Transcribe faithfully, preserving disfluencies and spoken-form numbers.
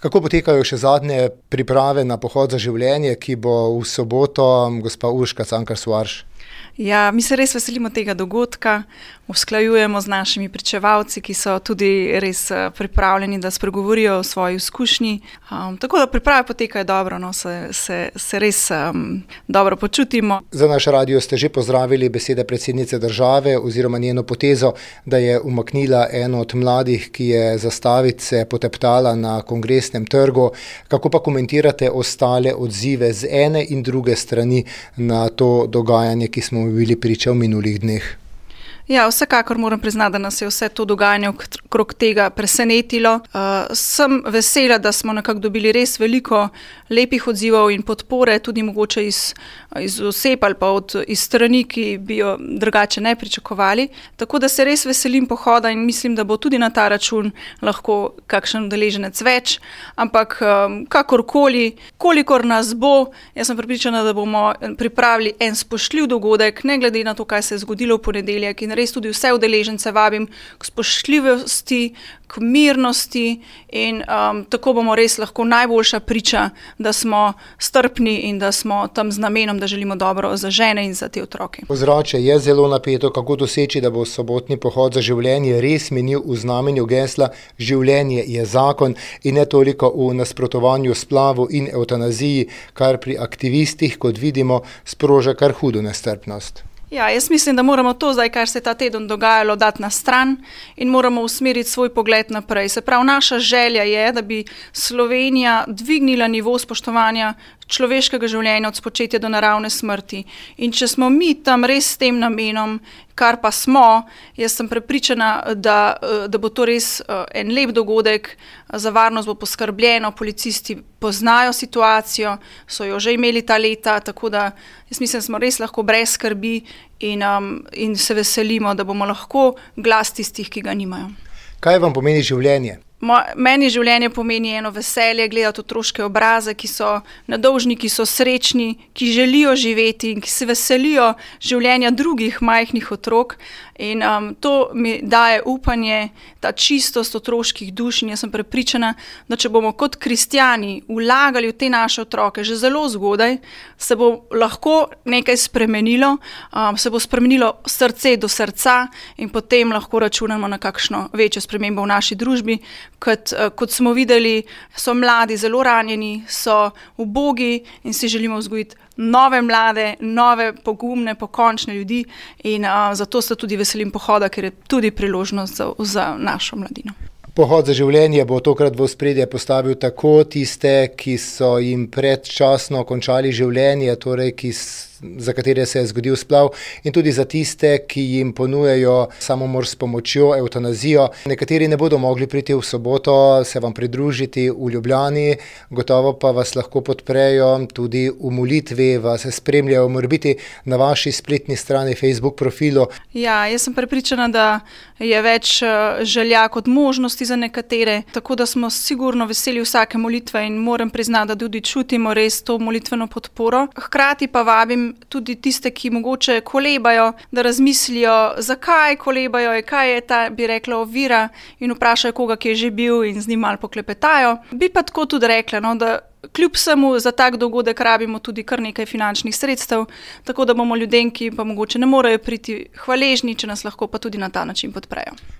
Kako potekajo še zadnje priprave na pohod za življenje, ki bo v soboto, gospa Urška Cankar Soarš? Ja, mi se res veselimo tega dogodka, usklajujemo z našimi pričevalci, ki so tudi res pripravljeni, da spregovorijo o svoji izkušnji. Um, tako da priprave potekajo dobro, no, se, se, se res um, dobro počutimo. Za naš radio ste že pozdravili besede predsednice države oziroma njeno potezo, da je umaknila eno od mladih, ki je zastavice poteptala na Kongresnem trgu. Kako pa komentirate ostale odzive z ene in druge strani na to dogajanje, ki smo bili priča v minulih dneh? Ja, vsekakor moram priznati, da nas je vse to dogajanje okrog tega presenetilo. Uh, sem vesela, da smo nekako dobili res veliko lepih odzivov in podpore, tudi mogoče iz, iz oseb ali pa od, iz strani, ki bi jo drugače ne pričakovali. Tako da se res veselim pohoda in mislim, da bo tudi na ta račun lahko kakšen udeleženec več. Ampak um, kakorkoli, kolikor nas bo, jaz sem prepričana, da bomo pripravili en spoštljiv dogodek, ne glede na to, kaj se je zgodilo v ponedeljek, in res tudi vse udeležence vabim k spoštljivosti, k mirnosti in um, tako bomo res lahko najboljša priča, da smo strpni in da smo tam z namenom, da želimo dobro za žene in za te otroke. Ozračje je zelo napeto, kako doseči, da bo sobotni pohod za življenje res menil v znamenju gesla življenje je zakon in ne toliko v nasprotovanju splavu in evtanaziji, kar pri aktivistih, kot vidimo, sproža kar hudo nestrpnost. Ja, jaz mislim, da moramo to zdaj, kar se je ta teden dogajalo, dati na stran in moramo usmeriti svoj pogled naprej. Se pravi, naša želja je, da bi Slovenija dvignila nivo spoštovanja človeškega življenja od spočetja do naravne smrti. In če smo mi tam res s tem namenom, kar pa smo, jaz sem prepričana, da, da bo to res en lep dogodek, za varnost bo poskrbljeno, policisti poznajo situacijo, so jo že imeli ta leta, tako da jaz mislim, da smo res lahko brez skrbi in, um, in se veselimo, da bomo lahko glas tistih, ki ga nimajo. Kaj vam pomeni življenje? Meni življenje pomeni eno veselje, gledati otroške obraze, ki so nedolžni, ki so srečni, ki želijo živeti in ki se veselijo življenja drugih majhnih otrok. In um, to mi daje upanje, ta čistost otroških duš in jaz sem prepričana, da če bomo kot kristjani vlagali v te naše otroke že zelo zgodaj, se bo lahko nekaj spremenilo, um, se bo spremenilo srce do srca in potem lahko računamo na kakšno večjo spremembo v naši družbi. Kot, kot smo videli, so mladi zelo ranjeni, so ubogi in si želimo vzgojiti nove mlade, nove pogumne, pokončne ljudi in uh, zato se tudi veselim pohoda, ker je tudi priložnost za, za našo mladino. Pohod za življenje bo tokrat v ospredje postavil tako tiste, ki so jim predčasno končali življenje, torej ki za katere se je zgodil splav, in tudi za tiste, ki jim ponujajo samomor s pomočjo, evtanazijo. Nekateri ne bodo mogli priti v soboto, se vam pridružiti v Ljubljani, gotovo pa vas lahko podprejo tudi v molitvi, vas spremljajo morebiti na vaši spletni strani, Facebook profilu. Ja, jaz sem prepričana, da je več želja kot možnosti za nekatere, tako da smo sigurno veseli vsake molitve in moram priznati, da tudi čutimo res to molitveno podporo. Hkrati pa vabim tudi tiste, ki mogoče kolebajo, da razmislijo, zakaj kolebajo, kaj je ta, bi rekla, ovira in vprašajo koga, ki je že bil in z njim malo poklepetajo. Bi pa tako tudi rekla, no, da kljub vsemu za tak dogodek rabimo tudi kar nekaj finančnih sredstev, tako da bomo ljudem, ki pa mogoče ne morejo priti, hvaležni, če nas lahko pa tudi na ta način podprejo.